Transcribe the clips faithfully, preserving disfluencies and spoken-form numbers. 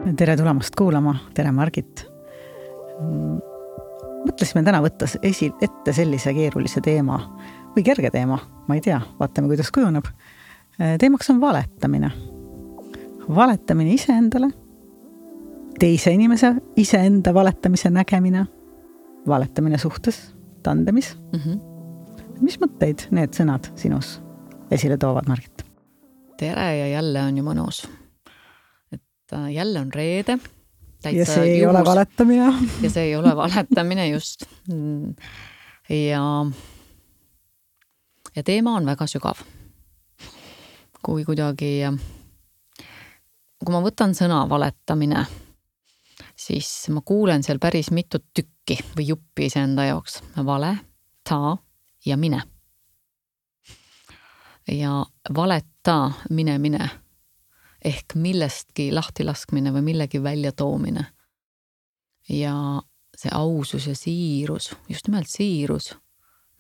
Tere tulemast kuulama, tere Margit. Mõtlesime täna võtta esi, ette sellise keerulise teema või kerge teema, ma ei tea, vaatame kuidas kujuneb. Teemaks on valetamine. Valetamine iseendale, teise inimese iseenda valetamise nägemine, valetamine suhtes, tandemis. Mm-hmm. Mis mõtteid need sõnad sinus esile toovad, Margit? Tere ja jälle on ju mõnus. Jälle on reede. Ja see ei juhus. Ole valetamine. Ja see ei ole valetamine just. Ja, ja teema on väga sügav. Kui kuidagi, kui ma võtan sõna valetamine, siis ma kuulen seal päris mitut tükki või juppi iseenda jaoks. Vale, ta ja mine. Ja valeta, mine, mine. Ehk millestki lahti laskmine või millegi välja toomine. Ja see ausus ja siirus, just nimelt siirus,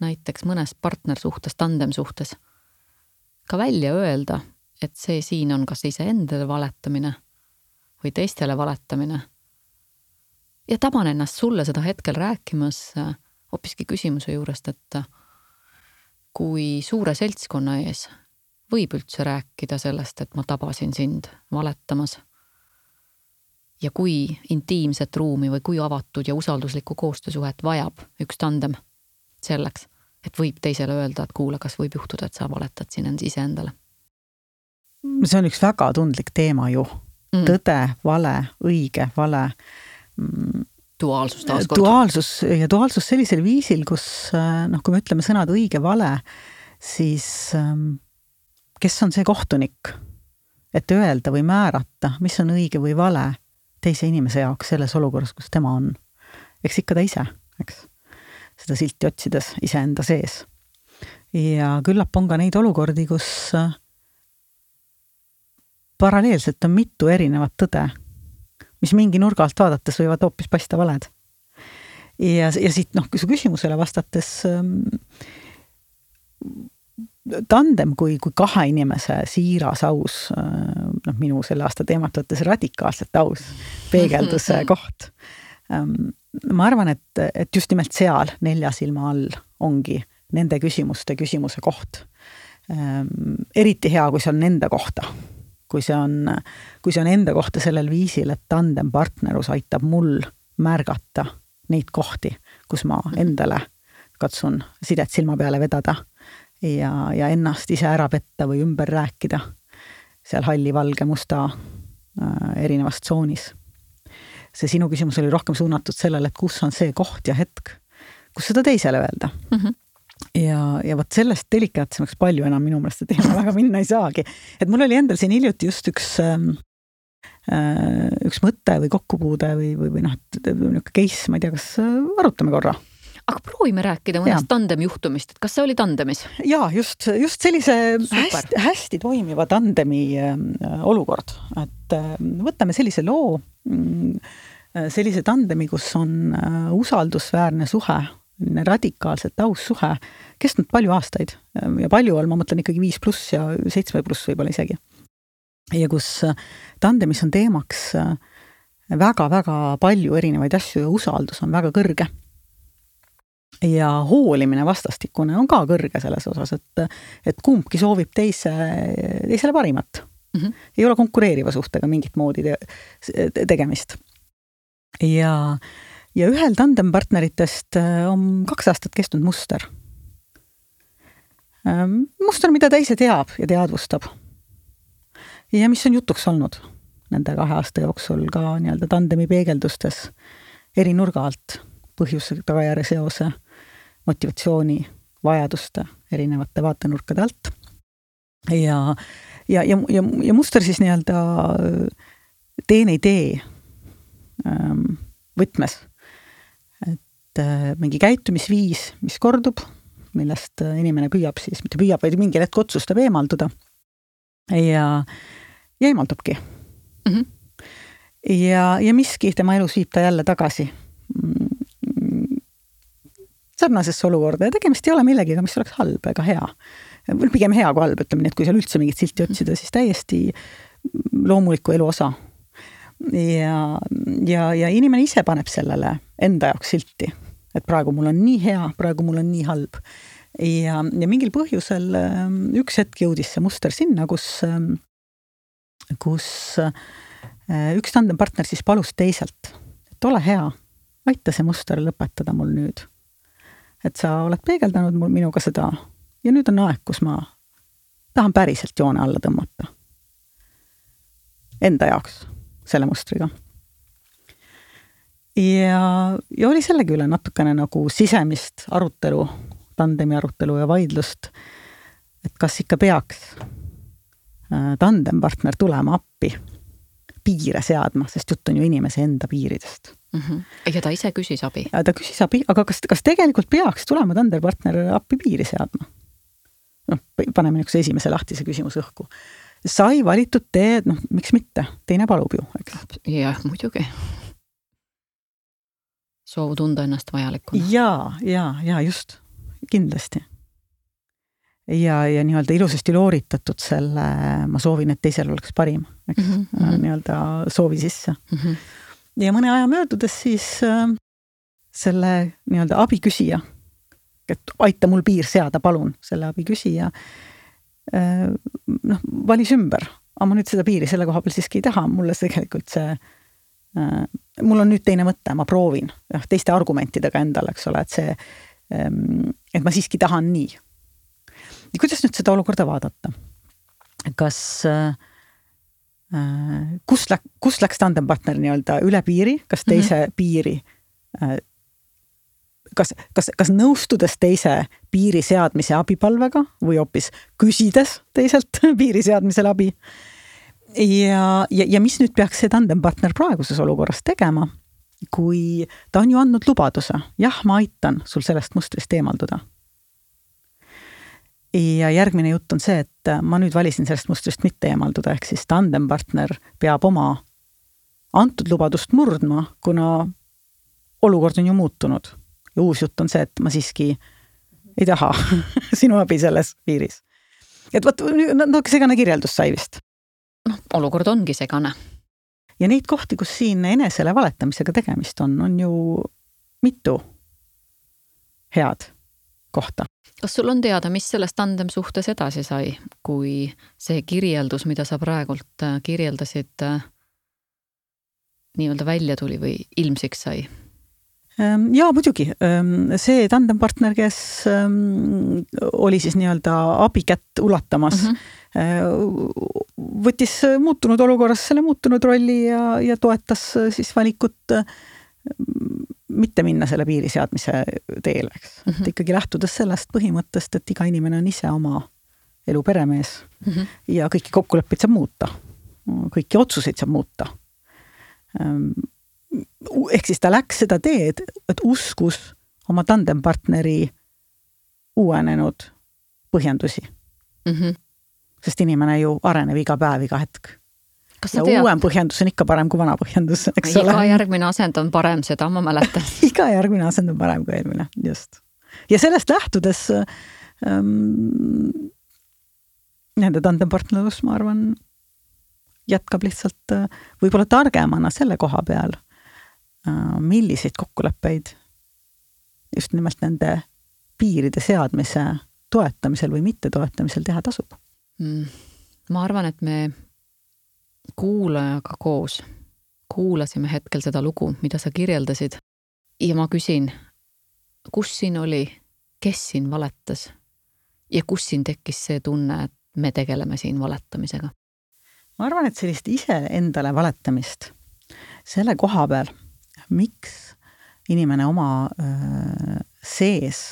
näiteks mõnes partner suhtes, tandem suhtes, ka välja öelda, et see siin on kas iseendale valetamine või teistele valetamine. Ja taban ennast sulle seda hetkel rääkimas hoopiski küsimuse juurest, et kui suure seltskonna ees võib üldse rääkida sellest, et ma tabasin sind valetamas. Ja kui intiimset ruumi või kui avatud ja usalduslikku koostöösuhet vajab üks tandem selleks, et võib teisele öelda, et kuule, kas võib juhtuda, et sa valetad siin iseendale. See on üks väga tundlik teema ju. Mm. Tõde, vale, õige, vale. Duaalsus taaskord. Duaalsus ja duaalsus sellisel viisil, kus, noh, kui me ütleme sõnad õige, vale, siis kes on see kohtunik, et öelda või määrata, mis on õige või vale teise inimese jaoks selles olukorras, kus tema on. Eks ikka ta ise, eks, seda silti otsides iseenda sees. Ja küllap on ka neid olukordi, kus paralleelselt on mitu erinevat tõde, mis mingi nurga alt vaadates võivad hoopis paista valed. Ja, ja siit, noh, kui su küsimusele vastates tandem kui, kui kahe inimese siiras aus, noh, minu selle aasta teemat võttes radikaalselt aus peegelduse koht. Ma arvan, et, et just nimelt seal nelja silma all ongi nende küsimuste küsimuse koht. Eriti hea, kui see on nende kohta. Kui see on, kui see on enda kohta sellel viisil, et tandem partnerus aitab mul märgata neid kohti, kus ma endale katsun sidet silma peale vedada. Ja, ja ennast ise ära petta või ümber rääkida seal halli, valge, musta äh, erinevas tsoonis. See sinu küsimus oli rohkem suunatud sellele, et kus on see koht ja hetk, kus seda teisele öelda. Mm-hmm. Ja, ja võt sellest delikaatsemaks palju enam minu meelest teema väga minna ei saagi. Et mul oli endal siin hiljuti just üks, äh, üks mõte või kokkupuude või, või, või noh, case, ma ei tea, kas arutame korra. Aga proovime rääkida mõnest tandem juhtumist, et kas see oli tandemis? Jaa, just, just sellise hästi, hästi toimiva tandemi olukord. Et võtame sellise loo, sellise tandemi, kus on usaldusväärne suhe, radikaalselt aus suhe, kestnud palju aastaid. Ja palju all, ma mõtlen ikkagi viis pluss ja seitsme pluss võib-olla isegi. Ja kus tandemis on teemaks väga-väga palju erinevaid asju ja usaldus on väga kõrge. Ja hoolimine vastastikune on ka kõrge selles osas, et, et kumbki soovib teise, teisele parimat. Mm-hmm. Ei ole konkureeriva suhtega mingit moodi te, tegemist. Ja, ja ühel tandempartneritest on kaks aastat kestnud muster. Muster, mida ta ise teab ja teadvustab. Ja mis on jutuks olnud nende kahe aasta jooksul ka nii-öelda tandemi peegeldustes eri nurga alt, põhjuse, tagajärje seose, motivatsiooni, vajaduste, erinevate vaatenurkade alt. Ja, ja, ja, ja, ja muster siis nii-öelda teen ei tee võtmes. Et mingi käitumisviis, mis kordub, millest inimene püüab siis, mitte püüab, vaid mingi hetk otsustab eemalduda. Ja, ja eemaldubki. Mm-hmm. Ja, ja miski tema elus viib ta jälle tagasi sarnasesse olukorda ja tegemist ei ole millegiga, mis oleks halb ega hea. Pigem hea kui halb, ütleme nii, et kui seal üldse mingit silti otsida, siis täiesti loomuliku elu osa. ja, ja, ja inimene ise paneb sellele enda jaoks silti, et praegu mul on nii hea, praegu mul on nii halb. Ja, ja mingil põhjusel üks hetk jõudis see muster sinna, kus, kus üks tandempartner siis palus teiselt, et ole hea, aita see muster lõpetada mul nüüd. Et sa oled peegeldanud mul minuga seda ja nüüd on aeg, kus ma tahan päriselt joone alla tõmmata. Enda jaoks, selle mustriga. Ja, ja oli sellegi üle natukene nagu sisemist arutelu, tandemi arutelu ja vaidlust, et kas ikka peaks tandempartner tulema appi piire seadma, sest jutt on ju inimese enda piiridest. Mm-hmm. Ja ta ise küsis abi. Ja ta küsis abi, aga kas, kas tegelikult peaks tulema tandempartner appi piiri seadma? No, paneme niisuguse esimese lahtise küsimuse õhku. Sai valitud tee, noh, miks mitte? Teine palub ju. Jah, muidugi. Soov tunda ennast vajalikuna. Jaa, jaa, jaa, just. Kindlasti. Ja, ja nii-öelda ilusasti looritatud selle, ma soovin, et teisel oleks parim. Eks? Mm-hmm. Nii-öelda soovi sisse. Mm-hmm. Ja mõne aja möödudes siis äh, selle nii-öelda abiküsija, et aita mul piir seada, palun, selle abiküsija äh, noh, valis ümber. Aga ma nüüd seda piiri selle koha peal siiski ei taha. Mulle tegelikult see, äh, mul on nüüd teine mõte, ma proovin ja teiste argumentidega endale, eks ole, et see, ähm, et ma siiski tahan nii. Ja kuidas nüüd seda olukorda vaadata? Kas äh, Kus, läk, kus läks tandempartner nii-öelda üle piiri, kas teise mm-hmm. piiri, kas, kas, kas nõustudes teise piiri seadmise abipalvega või hoopis küsides teiselt piiri seadmisel abi. Ja, ja, ja mis nüüd peaks see tandempartner praeguses olukorras tegema, kui ta on ju andnud lubaduse, jah, ma aitan sul sellest mustrist eemalduda. Ja järgmine jutt on see, et ma nüüd valisin sellest mustrist mitte eemalduda, ehk siis tandempartner peab oma antud lubadust murdma, kuna olukord on ju muutunud. Ja uus jutt on see, et ma siiski ei taha sinu abi selles piiris. Et võt, no segane kirjeldus sai vist. No, olukord ongi segane. Ja neid kohti, kus siin enesele valetamisega tegemist on, on ju mitu head kohta. Kas sul on teada, mis sellest tandem suhtes edasi sai, kui see kirjeldus, mida sa praegult kirjeldasid, nii-öelda välja tuli või ilmsiks sai? Jaa, muidugi. See tandempartner, kes oli siis nii-öelda abikätt ulatamas, mm-hmm. võttis muutunud olukorras selle muutunud rolli ja, ja toetas siis valikut mitte minna selle piiri seadmise teele, eks. Mm-hmm. Et ikkagi lähtudes sellest põhimõttest, et iga inimene on ise oma elu peremees mm-hmm. ja kõiki kokkuleppeid saab muuta. Kõiki otsuseid saab muuta. Ehk siis ta läks seda teed, et uskus oma tandempartneri uuenenud põhjendusi. Mm-hmm. Sest inimene ju areneb iga päev, iga hetk. Ja uuem põhjendus on ikka parem kui vana põhjendus. Eks iga ole? Järgmine asend on parem, seda ma mäletan. Iga järgmine asend on parem kui eelmine, just. Ja sellest lähtudes ähm, nende tandempartnerlus, ma arvan, jätkab lihtsalt äh, võib-olla targemana selle koha peal, äh, milliseid kokkuleppeid just nimelt nende piiride seadmise toetamisel või mitte toetamisel teha tasub. Mm. Ma arvan, et me kuulajaga koos kuulasime hetkel seda lugu, mida sa kirjeldasid ja ma küsin, kus siin oli, kes siin valetas ja kus siin tekkis see tunne, et me tegeleme siin valetamisega? Ma arvan, et sellist ise endale valetamist selle koha peal, miks inimene oma öö, sees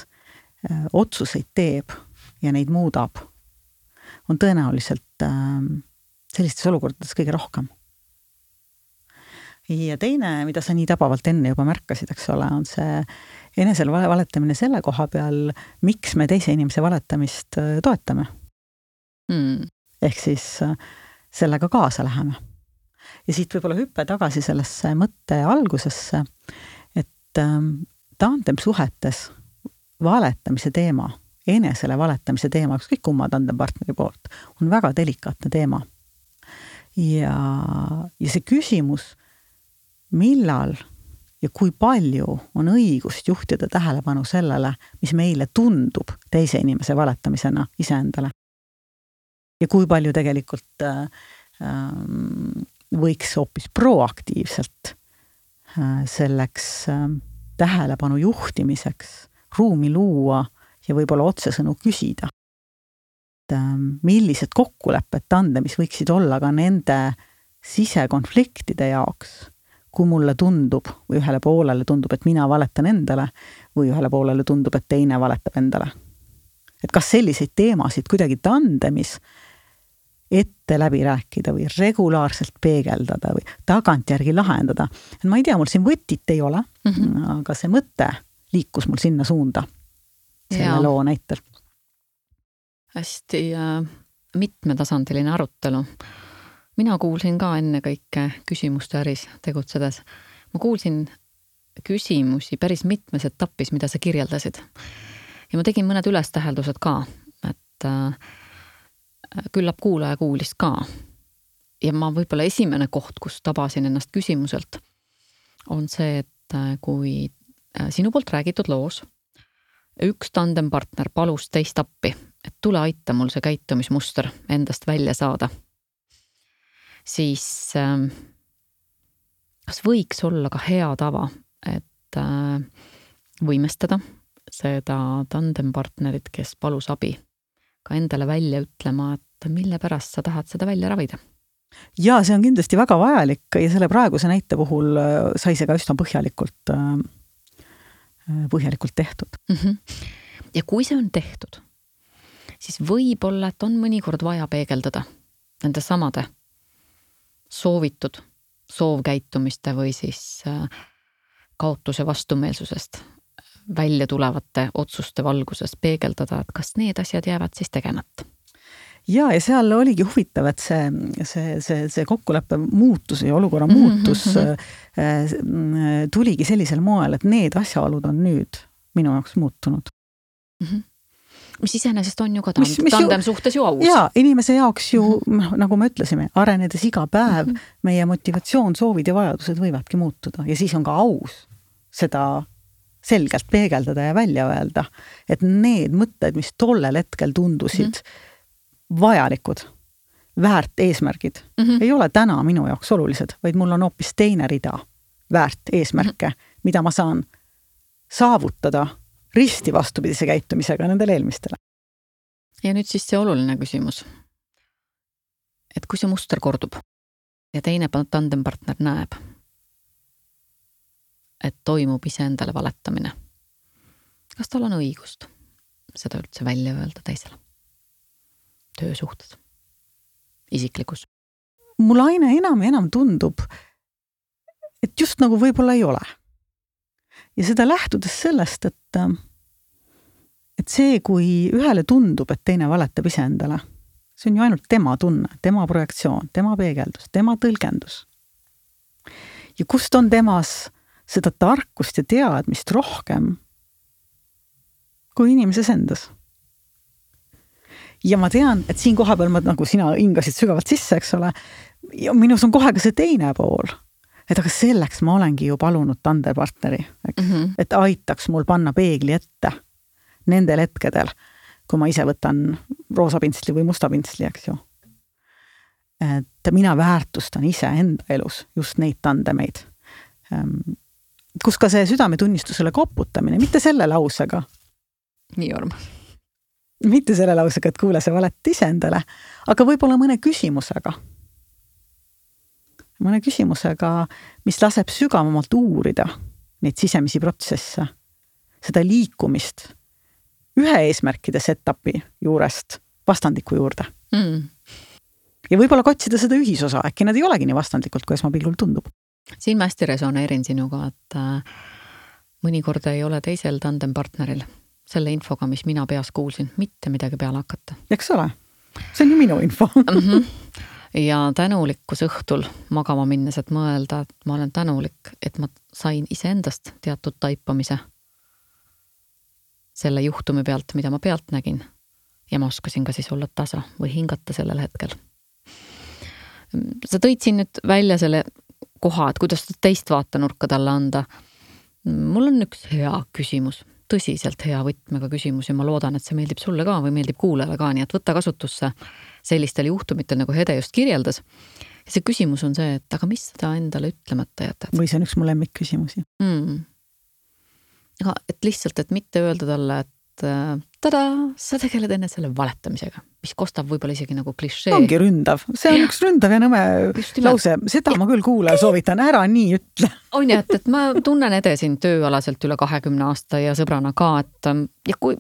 öö, otsuseid teeb ja neid muudab, on tõenäoliselt öö, sellistes olukordades kõige rohkem. Ja teine, mida sa nii tabavalt enne juba märkasid, eks ole, on see enesel valetamine selle koha peal, miks me teise inimese valetamist toetame. Mm. Ehk siis sellega kaasa läheme. Ja siit võib-olla hüppe tagasi sellesse mõtte algusesse, et tandem suhetes valetamise teema, enesele valetamise teema, ükskõik kumma tandempartneri poolt, on väga delikaatne teema. Ja, ja see küsimus, millal ja kui palju on õigust juhtida tähelepanu sellele, mis meile tundub teise inimese valetamisena iseendale. Ja kui palju tegelikult äh, võiks hoopis proaktiivselt äh, selleks äh, tähelepanu juhtimiseks ruumi luua ja võib-olla otsesõnu küsida. Et, äh, millised kokkulepped tandemis võiksid olla ka nende sisekonfliktide jaoks, kui mulle tundub või ühele poolele tundub, et mina valetan endale või ühele poolele tundub, et teine valetab endale. Et kas selliseid teemasid kuidagi tandemis ette läbi rääkida või regulaarselt peegeldada või tagantjärgi lahendada. Et ma ei tea, mul siin võtit ei ole, mm-hmm. aga see mõte liikus mul sinna suunda selle ja. Loo näitel. Hästi äh, mitmetasandiline arutelu. Mina kuulsin ka enne kõike küsimuste äris tegutsedes. Ma kuulsin küsimusi päris mitmes etapis, mida sa kirjeldasid. Ja ma tegin mõned ülestäheldused ka, et äh, küllap kuulaja kuulis ka. Ja ma võib-olla esimene koht, kus tabasin ennast küsimuselt, on see, et kui sinu poolt räägitud loos üks tandempartner palus teist appi, et tule aita mul see käitumismuster endast välja saada, siis äh, kas võiks olla ka hea tava, et äh, võimestada seda tandempartnerit, kes palus abi, ka endale välja ütlema, et mille pärast sa tahad seda välja ravida? Ja see on kindlasti väga vajalik ja selle praeguse näite puhul sai see ka üsna põhjalikult, põhjalikult tehtud. Mm-hmm. Ja kui see on tehtud, siis võib-olla, et on mõnikord vaja peegeldada nende samade soovitud soovkäitumiste või siis kaotuse vastumeelsusest välja tulevate otsuste valguses peegeldada, et kas need asjad jäävad siis tegemata. Ja, ja seal oligi huvitav, et see, see, see, see kokkuleppe muutus ja olukorra muutus mm-hmm. tuligi sellisel moel, et need asjaolud on nüüd minu jaoks muutunud. Mm-hmm. Mis iseenesest on ju ka tand- mis, mis tandem ju, suhtes ju aus. Jaa, inimese jaoks ju, mm-hmm. nagu me ütlesime, arenedes iga päev mm-hmm. meie motivatsioon, soovid ja vajadused võivadki muutuda ja siis on ka aus seda selgelt peegeldada ja välja öelda, et need mõtted, mis tollel hetkel tundusid mm-hmm. vajalikud, väärt eesmärgid, mm-hmm. ei ole täna minu jaoks olulised, vaid mul on hoopis teine rida väärt eesmärke, mm-hmm. mida ma saan saavutada risti vastupidise käitumisega nendele eelmistele. Ja nüüd siis see oluline küsimus. Et kui see muster kordub ja teine tandempartner näeb, et toimub iseendale valetamine, kas tal on õigust seda üldse välja öelda teisele? Töösuhtes, isiklikus. Mul aina enam ja enam tundub, et just nagu võib-olla ei ole. Ja seda lähtudes sellest, et, et see, kui ühele tundub, et teine valetab iseendale, see on ju ainult tema tunne, tema projektsioon, tema peegeldus, tema tõlgendus. Ja kust on temas seda tarkust ja teadmist rohkem kui inimeses endas. Ja ma tean, et siin koha peal ma, nagu sina hingasid sügavalt sisse, eks ole, ja minus on kohe ka see teine pool. Et aga selleks ma olengi ju palunud tandepartneri, eks? Mm-hmm. Et aitaks mul panna peegli ette nendel hetkedel, kui ma ise võtan roosa pintsli või musta pintsli, eks ju. Et mina väärtustan ise enda elus just neid tandemeid. Kus ka see südametunnistusele koputamine, mitte selle lausega. Nii armas. Mitte selle lausega, et kuule see valet ise endale, aga võib-olla mõne küsimusega. mõne küsimusega, mis laseb sügavamalt uurida neid sisemisi protsesse, seda liikumist ühe eesmärkide setapi juurest vastandiku juurde. Mm. Ja võib-olla kotsida seda ühisosa, äkki nad ei olegi nii vastandlikult, kui esmapilgul tundub. Siin ma hästi resoneerin sinuga, et mõnikord ei ole teisel tandempartneril selle infoga, mis mina peas kuulsin, mitte midagi peale hakata. Eks ole? See on ju minu info. Mm-hmm. Ja tänulikkus õhtul magama minnes, et mõelda, et ma olen tänulik, et ma sain iseendast teatud taipamise selle juhtumi pealt, mida ma pealt nägin. Ja ma oskasin ka siis olla tasa või hingata sellel hetkel. Sa tõid siin nüüd välja selle kohad, kuidas teist vaatenurka talle anda. Mul on üks hea küsimus, tõsiselt hea võtmega küsimus ja ma loodan, et see meeldib sulle ka või meeldib kuulajale ka, nii et võtta kasutusse sellistel juhtumitel, nagu Hede just kirjeldas. Ja see küsimus on see, et aga mis seda endale ütlemata jätad? Või see on üks mu lemmikküsimusi. Mm. Aga et lihtsalt, et mitte öelda talle, et tada, sa tegeled enne selle valetamisega, mis kostab võib-olla isegi nagu klišee. Ongi ründav. See on ja. Üks ründav ja nõme lause. Seda ja. Ma küll kuule soovitan, ära nii ütle. On jah, et, et ma tunnen Ede siin tööalaselt üle kahekümne aasta ja sõbrana ka, et ja kui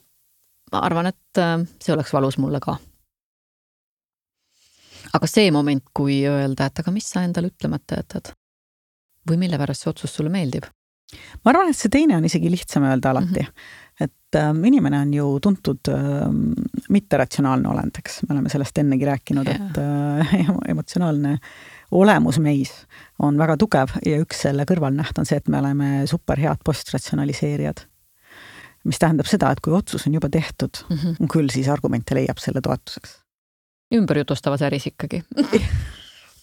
ma arvan, et see oleks valus mulle ka. Aga see moment, kui öelda, et aga mis sa endale ütlemata jätad? Või mille pärast see otsus sulle meeldib? Ma arvan, et see teine on isegi lihtsam öelda alati. Mm-hmm. Et äh, inimene on ju tuntud äh, mitteratsionaalne olendeks. Me oleme sellest ennegi rääkinud, yeah. et äh, emotsionaalne olemus meis on väga tugev ja üks selle kõrvalnäht on see, et me oleme superhead postratsionaliseerijad. Mis tähendab seda, et kui otsus on juba tehtud, mm-hmm. küll siis argumente leiab selle toetuseks. Ümberjutustava säris ikkagi.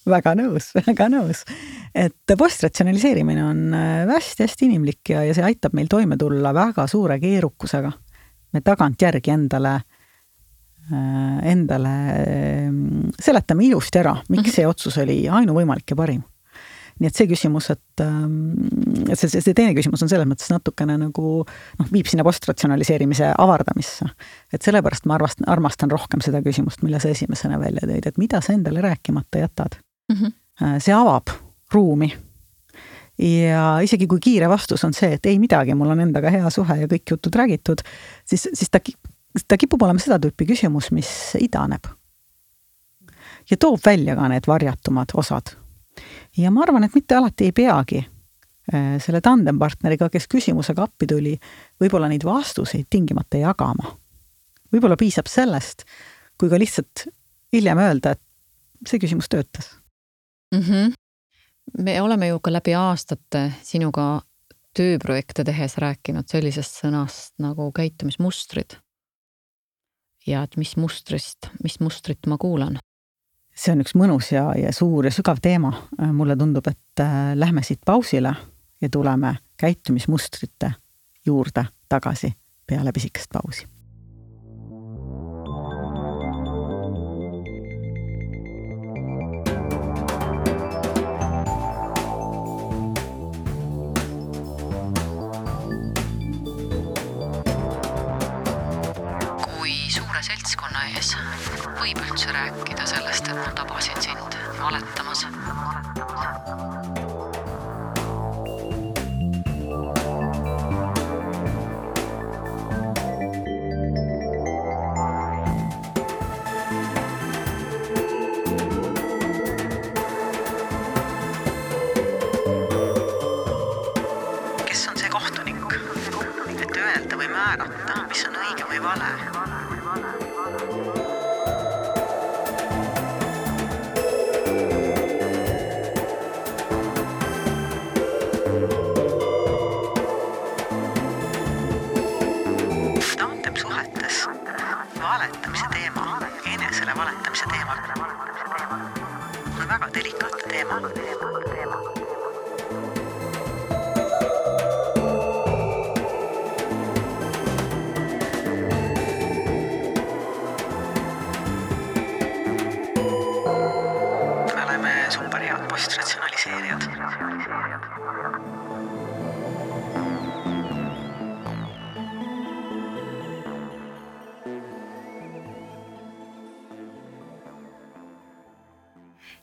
Väga nõus, väga nõus. Et postratsionaliseerimine on hästi-hästi inimlik ja, ja see aitab meil toime tulla väga suure keerukusega. Me tagant järgi endale, endale seletame ilusti ära, miks see otsus oli ainuvõimalik ja parim. Nii et see küsimus, et, et see, see teine küsimus on selles mõttes natukene nagu noh, viib sinna postratsionaliseerimise avardamisse. Et sellepärast ma armastan, armastan rohkem seda küsimust, mille sa esimesena välja tõid, et mida sa endale rääkimata jätad. Mm-hmm. See avab ruumi ja isegi kui kiire vastus on see, et ei midagi, mul on endaga hea suhe ja kõik jutud räägitud, siis, siis ta, ta kipub olema seda tüüpi küsimus, mis idaneb ja toob välja ka need varjatumad osad. Ja ma arvan, et mitte alati ei peagi selle tandempartneriga, kes küsimusega appi tuli, võib-olla neid vastuseid tingimata jagama. Võib-olla piisab sellest, kui ka lihtsalt hiljem öelda, et see küsimus töötas. Mm-hmm. Me oleme ju ka läbi aastate sinuga tööprojekte tehes rääkinud sellisest sõnast nagu käitumismustrid. Ja et mis mustrist, mis mustrit ma kuulan? See on üks mõnus ja, ja suur ja sügav teema. Mulle tundub, et lähme siit pausile ja tuleme käitumismustrite juurde tagasi peale pisikest pausi. Võib üldse rääkida sellest, et ma tabasin sind valetamas. Kes on see kohtunik, et öelda või määrata, mis on õige või vale? Valetamise teema, enesele valetamise teema on väga delikaatne teema. Me oleme superhead postratsionaliseerijad.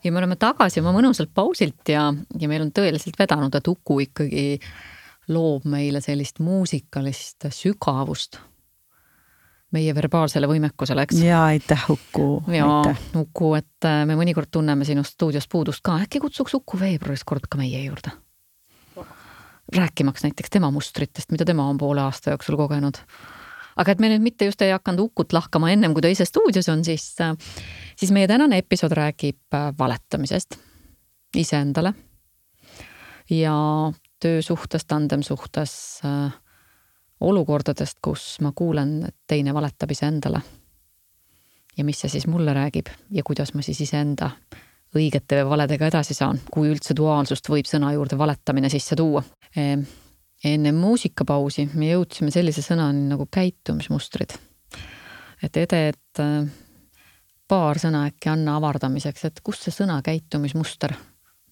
Ja me oleme tagasi oma mõnusalt pausilt ja, ja meil on tõeliselt vedanud, et Uku ikkagi loob meile sellist muusikalist sügavust meie verbaalsele võimekusele, eks? Ja aitäh, Uku. Ja Uku, et me mõnikord tunneme sinust stuudios puudust ka. Äkki kutsuks Uku veebruaris kord ka meie juurde? Rääkimaks näiteks tema mustritest, mida tema on poole aasta jooksul kogenud. Aga et me nüüd mitte just ei hakanud Ukut lahkama ennem, kui ta ise stuudios on, siis, siis meie tänane episood räägib valetamisest iseendale ja töösuhtes, tandemsuhtes, olukordadest, kus ma kuulen, et teine valetab iseendale. Ja mis see siis mulle räägib ja kuidas ma siis iseenda õigete või valedega edasi saan, kui üldse duaalsust võib sõna juurde valetamine sisse tuua. Enne muusikapausi me jõudsime sellise sõnani nagu käitumismustrid. Et Ede, et paar sõna äkki anna avardamiseks, et kust see sõna käitumismuster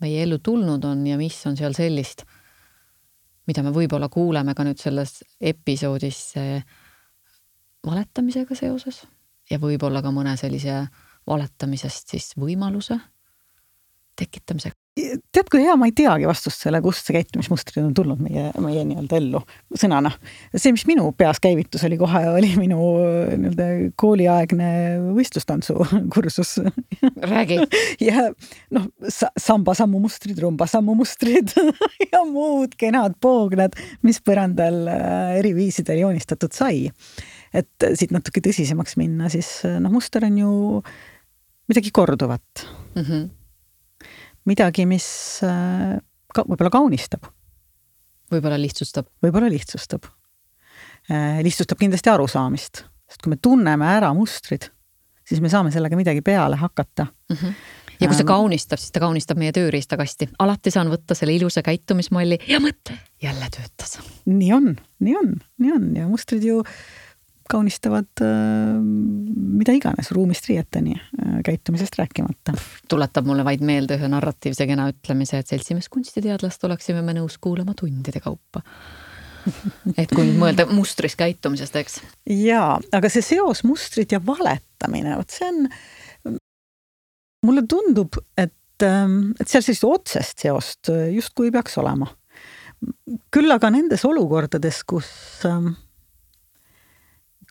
meie ellu tulnud on ja mis on seal sellist, mida me võib-olla kuuleme ka nüüd selles episoodis valetamisega seoses ja võib-olla ka mõne sellise valetamisest siis võimaluse tekitamisega. Tead, kui hea, ma ei teagi vastust selle, kust see käitumismustrid on tulnud meie, meie nii-öelda ellu sõnana. See, mis minu peas käivitus oli kohe, oli minu nii-öelda kooliaegne võistlustantsu kursus. Räägi. Ja noh, samba sammumustrid, rumba sammumustrid ja muud kenad poognad, mis põrandal eri viisidel joonistatud sai. Et siit natuke tõsisemaks minna, siis noh, muster on ju midagi korduvat. Mhm. Midagi, mis ka, võib-olla kaunistab. Võib-olla lihtsustab. Võib-olla lihtsustab. Lihtsustab kindlasti arusaamist. Sest kui me tunneme ära mustrid, siis me saame sellega midagi peale hakata. Mm-hmm. Ja kui see kaunistab, siis ta kaunistab meie tööriistakasti. Alati saan võtta selle ilusa käitumismalli ja mõtle, jälle töötas. Nii on, nii on, nii on. Ja mustrid ju kaunistavad äh, mida iganes ruumist riieteni äh, käitumisest rääkimata. Tuletab mulle vaid meelde ühe narratiivse kena ütlemise, et seltsimees kunstiteadlast oleksime me nõus kuulama tundide kaupa. Et kui nüüd mõelda mustris käitumisest, eks? Jaa, aga see seos mustrid ja valetamine, võt see on, mulle tundub, et, et seal sellist otsest seost just kui peaks olema. Küll aga nendes olukordades, kus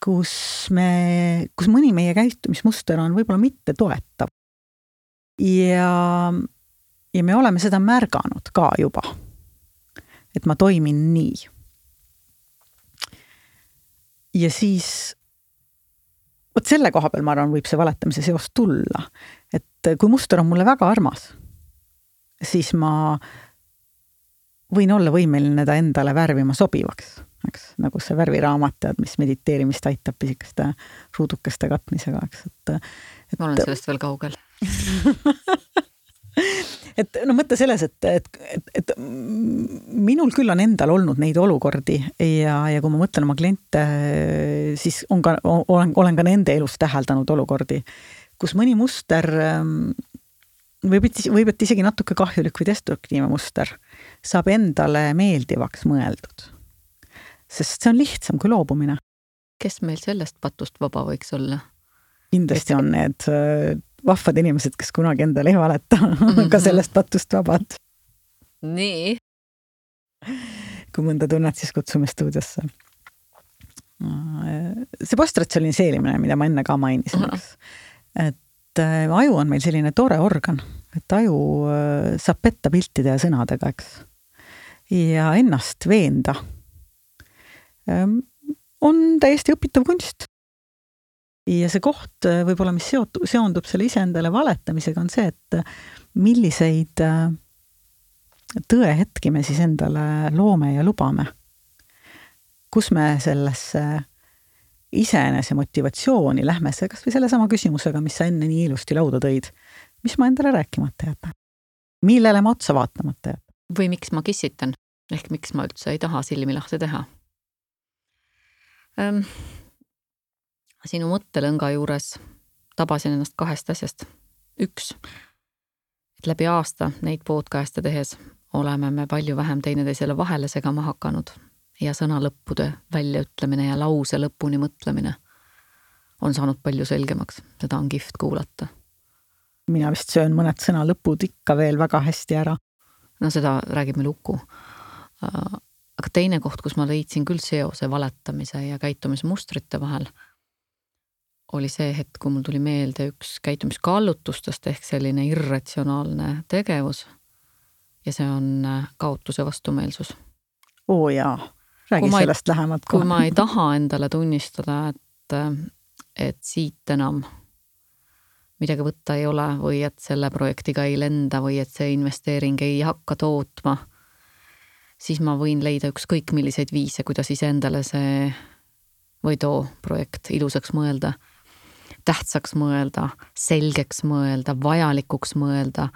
kus me, kus mõni meie käitumismuster on võib-olla mitte toetav. Ja, ja me oleme seda märganud ka juba, et ma toimin nii. Ja siis, võt selle koha peal, ma arvan, võib see valetamise seos tulla. Et kui muster on mulle väga armas, siis ma võin olla võimeline ta endale värvima sobivaks. Eks, nagu see värviraamat, mis mediteerimist aitab pisikeste ruudukeste katmisega. Eks, et, et, ma olen sellest veel kaugel. et no mõtte selles, et, et, et, et minul küll on endal olnud neid olukordi ja, ja kui ma mõtlen oma kliente, siis on ka, olen, olen ka nende elus täheldanud olukordi, kus mõni muster võib, võib et isegi natuke kahjulik või destruktiivne muster saab endale meeldivaks mõeldud. Sest see on lihtsam kui loobumine. Kes meil sellest patust vaba võiks olla? Kindlasti on need vahvad inimesed, kes kunagi endale ei valeta, mm-hmm. ka sellest patust vabad. Nii. Kui mõnda tunned, siis kutsume stuudiosse. See postratsionaliseerimine, mida ma enne ka mainisin, mm-hmm. et aju on meil selline tore organ, et aju saab petta piltide ja sõnadega, eks. Ja ennast veenda on täiesti õpitav kunst. Ja see koht võib-olla, mis seondub selle iseendale valetamisega, on see, et milliseid tõehetki me siis endale loome ja lubame. Kus me sellesse iseenese motivatsiooni lähme see, kas või selle sama küsimusega, mis sa enne nii ilusti lauda tõid. Mis ma endale rääkimata jätan? Millele ma otsa vaatamata jätan? Või miks ma kissitan? Ehk miks ma üldse ei taha silmi lahti teha? Ähm, sinu mõttelõnga juures tabasin ennast kahest asjast. Üks, et läbi aasta neid podcast'e tehes oleme me palju vähem teineteisele vahele segama hakanud ja sõnalõppude väljaütlemine ja lause lõpuni mõtlemine on saanud palju selgemaks. Seda on kihvt kuulata. Mina vist söön mõned sõnalõpud ikka veel väga hästi ära. No seda räägib meil Uku. Aga teine koht, kus ma leidsin küll seose valetamise ja käitumismustrite vahel, oli see hetk, kui mul tuli meelde üks käitumiskallutustest ehk selline irratsionaalne tegevus ja see on kaotuse vastumeelsus. Oo jaa, räägi kui sellest ei, lähemalt. Kui ma ei taha endale tunnistada, et, et siit enam midagi võtta ei ole või et selle projektiga ei lenda või et see investeering ei hakka tootma, siis ma võin leida ükskõik milliseid viise, kuidas iseendale see või too projekt ilusaks mõelda. tähtsaks mõelda, selgeks mõelda, vajalikuks mõelda,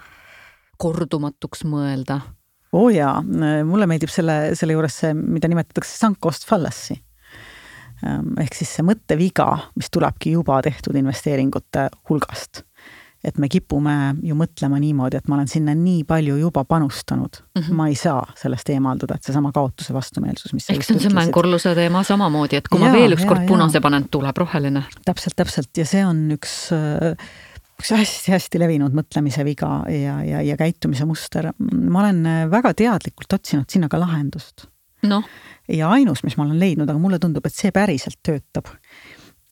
kordumatuks mõelda. Oo jaa, mulle meeldib selle, selle juures see, mida nimetatakse sunk cost fallacy. Ehk siis see mõtteviga, mis tulebki juba tehtud investeeringute hulgast. Et me kipume ju mõtlema niimoodi, et ma olen sinna nii palju juba panustanud. Mm-hmm. Ma ei saa sellest eemalduda, et see sama kaotuse vastumeelsus, mis eks on see mängurluse teema samamoodi, et kui ja, ma veel üks ja, kord punase panen, tuleb roheline. Täpselt, täpselt. Ja see on üks, üks hästi-hästi levinud mõtlemise viga ja, ja, ja käitumise muster. Ma olen väga teadlikult otsinud sinna ka lahendust. No. Ja ainus, mis ma olen leidnud, aga mulle tundub, et see päriselt töötab,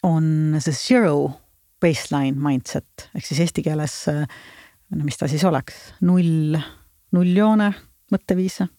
on see zero baseline mindset, ehk siis eesti keeles, mis ta siis oleks, null, nulljoone mõtteviise.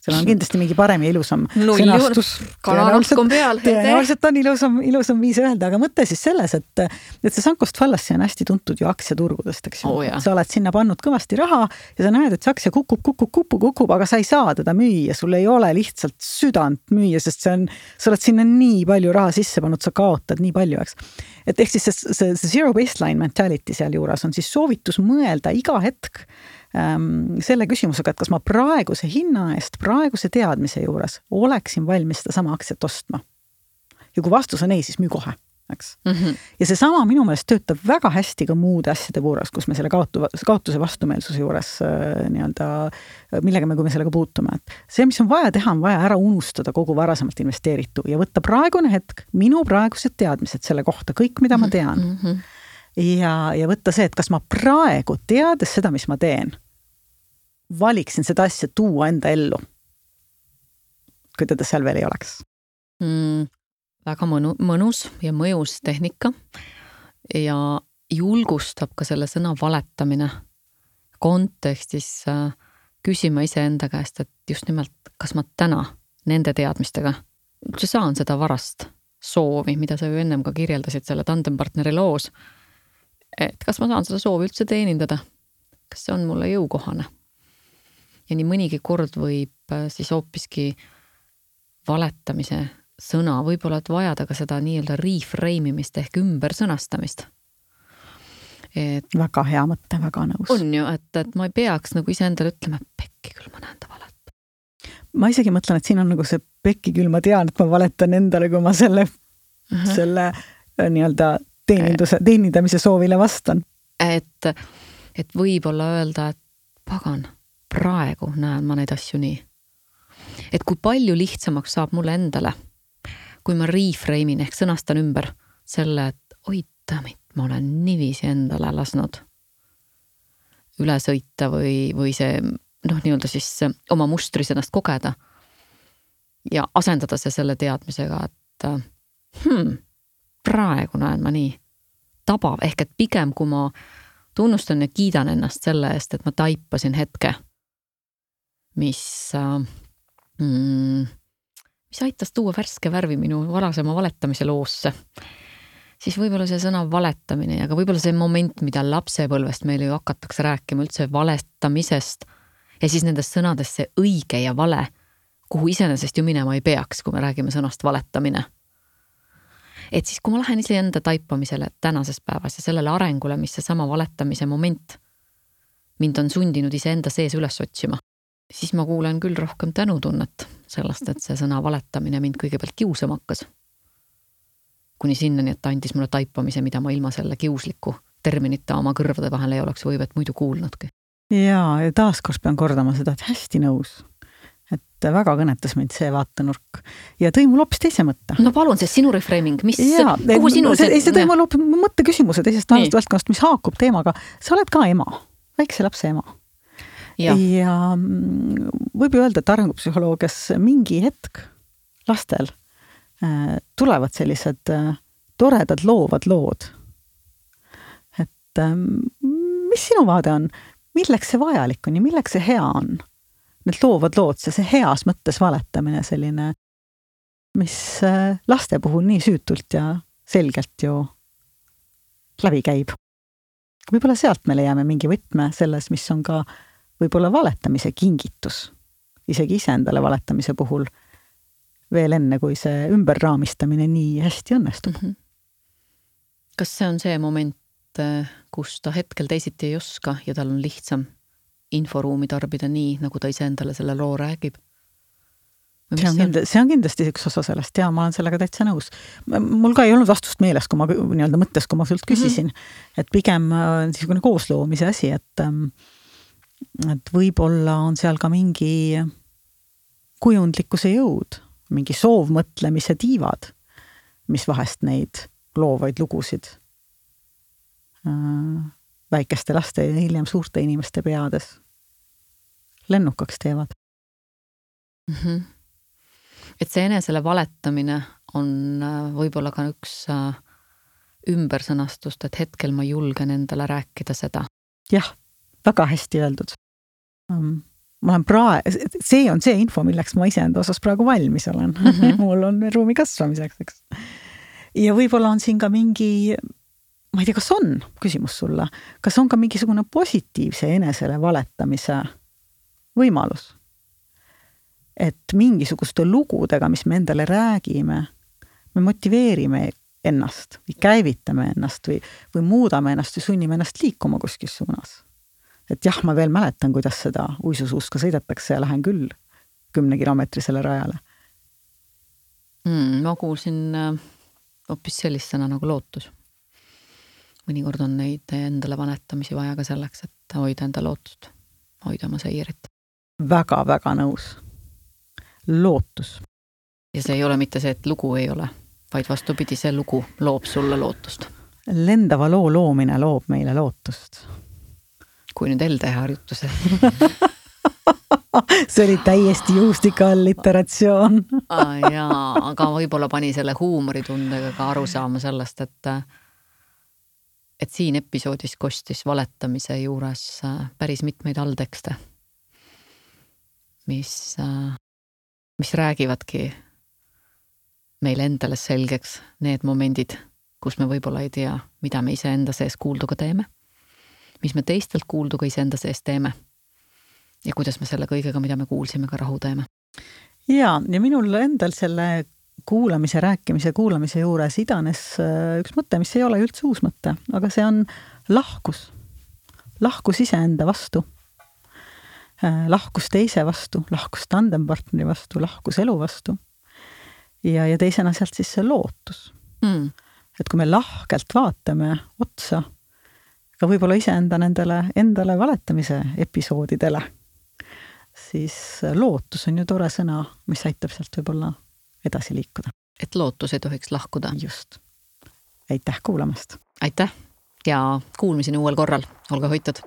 Seal on kindlasti mingi parem ja ilusam sõnastus. Kananapk on peal. Tõenäoliselt on ilusam, ilusam viis öelda, aga mõte siis selles, et, et see sunk cost fallacy on hästi tuntud ju aktsiaturgudest, eks ju. Oh, sa oled sinna pannud kõvasti raha ja sa näed, et see aktsia kukub, kukub, kukub, kukub, aga sa ei saa teda müüa, sul ei ole lihtsalt südant müüa, sest see on, sa oled sinna nii palju raha sisse pannud, sa kaotad nii palju, eks. Et ehk siis see, see, see zero baseline mentality seal juures on siis soovitus mõelda iga hetk selle küsimusega, et kas ma praeguse hinna eest, praeguse teadmise juures oleksin valmis seda sama aktsiat ostma. Ja kui vastus on ei, siis müü kohe, eks. Mm-hmm. Ja see sama minu meelest töötab väga hästi ka muude asjade puuras, kus me selle kaotu, kaotuse vastumeelsuse juures nii-öelda, millega me, kui me sellega puutume. Et see, mis on vaja teha, on vaja ära unustada kogu varasemalt investeeritu ja võtta praegune hetk, minu praegused teadmised selle kohta, kõik, mida ma tean. Mm-hmm. Ja, ja võtta see, et kas ma praegu teades seda, mis ma teen, valiksin seda asja tuua enda ellu, kui teda seal veel ei oleks. Mm, väga mõnu, mõnus ja mõjus tehnika ja julgustab ka selle sõna valetamine kontekstis küsima ise enda käest, et just nimelt, kas ma täna nende teadmistega üldse saan seda varast soovi, mida sa ju ennem ka kirjeldasid selle tandempartneri loos, et kas ma saan seda soovi üldse teenindada, kas see on mulle jõukohane. Ja nii mõnigi kord võib siis hoopiski valetamise sõna, võib-olla et vajada ka seda nii-öelda reframeimist ehk ümber sõnastamist. Et väga hea mõte, väga nõus. On ju, et, et ma ei peaks nagu ise endale ütlema, pekki küll ma näen ta valet. Ma isegi mõtlen, et siin on nagu see pekki küll ma tean, et ma valetan endale, kui ma selle, uh-huh. selle nii-öelda teeninduse, teenindamise soovile vastan. Et, et võib-olla öelda, et pagan, praegu näen ma neid asju nii. Et kui palju lihtsamaks saab mulle endale, kui ma reframe'in ehk sõnastan ümber selle, et oi damit, ma olen nivisi endale lasnud üle sõita või, või see, noh, nii-öelda siis oma mustris ennast kogeda ja asendada see selle teadmisega, et hmm, praegu näen ma nii tabav, ehk et pigem kui ma tunnustan ja kiidan ennast selle eest, et ma taipasin hetke, mis, mm, mis aitas tuua värske värvi minu varasema valetamise loosse, siis võib-olla see sõna valetamine ja ka võib-olla see moment, mida lapsepõlvest meile ju hakatakse rääkima üldse valetamisest ja siis nendest sõnadest see õige ja vale, kuhu iseenesest ju minema ei peaks, kui me räägime sõnast valetamine. Et siis, kui ma lähen ise enda taipamisele tänases päevas ja sellele arengule, mis see sama valetamise moment mind on sundinud ise enda sees üles otsima, siis ma kuulen küll rohkem tänutunnet sellest, et see sõna valetamine mind kõigepealt kiusama hakkas. Kuni sinnani, et ta andis mulle taipamise, mida ma ilma selle kiusliku terminita oma kõrvade vahel ei oleks võivet muidu kuulnudki. Jaa, ja taaskord pean kordama seda, et hästi nõus. Et väga kõnetas meid see vaatenurk ja tõi mul hoopis teise mõtte. No palun, see sinu reframing, mis, ja, kuhu sinu... See, see tõi mul hoopis mõtte küsimuse teisest valdkonnast, mis haakub teemaga. Sa oled ka ema, väikse lapse ema. Ja, ja võib ju öelda, et arengupsühholoogias mingi hetk lastel äh, tulevad sellised äh, toredad loovad lood. Et äh, mis sinu vaade on? Milleks see vajalik on ja milleks see hea on? Need loovad lood, see, see heas mõttes valetamine selline, mis laste puhul nii süütult ja selgelt ju läbi käib. Võib-olla sealt me leiame mingi võtme selles, mis on ka võib-olla valetamise kingitus, isegi iseendale valetamise puhul veel enne, kui see ümberraamistamine nii hästi õnnestub. Mm-hmm. kas see on see moment, kus ta hetkel teisiti ei oska ja tal on lihtsam inforuumi tarbida nii, nagu ta ise endale selle loo räägib? See on, kindlasti, see on kindlasti üks osa sellest ja ma olen sellega täitsa nõus. Mul ka ei olnud vastust meeles, kui ma nii-öelda mõttes, kui ma sult küsisin, mm-hmm. et pigem niisugune koosloomise asi, et, et võib-olla on seal ka mingi kujundlikkuse jõud, mingi soovmõtlemise tiivad, mis vahest neid loovaid lugusid väikeste laste ja hiljem suurte inimeste peades lennukaks teevad. Mm-hmm. Et see enesele valetamine on võib-olla ka üks ümbersõnastust, et hetkel ma julgen endale rääkida seda. Jah, väga hästi öeldud. Ma olen praegu, see on see info, milleks ma iseenda osas praegu valmis olen. Mm-hmm. Mul on ruumi kasvamiseks, eks. Ja võib-olla on siin ka mingi, ma ei tea, kas on küsimus sulle, kas on ka mingisugune positiivse enesele valetamise võimalus? Et mingisuguste lugudega, mis me endale räägime, me motiveerime ennast või käivitame ennast või, või muudame ennast või sunnime ennast liikuma kuskil suunas. Et jah, ma veel mäletan, kuidas seda uisusuuska sõidetakse ja lähen küll kümne kilomeetrisele rajale. Mm, ma kuulsin hoopis sellist sõna nagu lootus. Mõnikord on neid endale vanetamisi vaja ka selleks, et hoida enda lootust, hoida oma seirit. Väga, väga nõus. Lootus. Ja see ei ole mitte see, et lugu ei ole, vaid vastupidi, see lugu loob sulle lootust. Lendava loo loomine loob meile lootust. Kui nüüd L T harjutuse. See oli täiesti juustika alliteratsioon. ah, jaa, aga võib-olla pani selle huumoritundega ka aru saama sellest, et et siin episoodis kostis valetamise juures päris mitmeid alltekste, mis mis räägivadki meile endale selgeks need momendid, kus me võib-olla ei tea, mida me ise enda sees kuulduga teeme, mis me teistelt kuulduga ise enda sees teeme ja kuidas me selle kõigega, mida me kuulsime, ka rahu teeme. Ja, ja minul endal selle kuulamise, rääkimise, kuulamise juures idanes üks mõte, mis ei ole üldse uus mõte, aga see on lahkus. Lahkus ise enda vastu. Lahkus teise vastu, lahkus tandempartneri vastu, lahkus elu vastu ja, ja teisena sealt siis see lootus. Mm. Et kui me lahkelt vaatame otsa, ka võib-olla iseenda nendele endale valetamise episoodidele, siis lootus on ju tore sõna, mis aitab sealt võib-olla edasi liikuda. Et lootus ei tohiks lahkuda. Just. Aitäh kuulamast. Aitäh ja kuulmiseni uuel korral. Olge hoitud.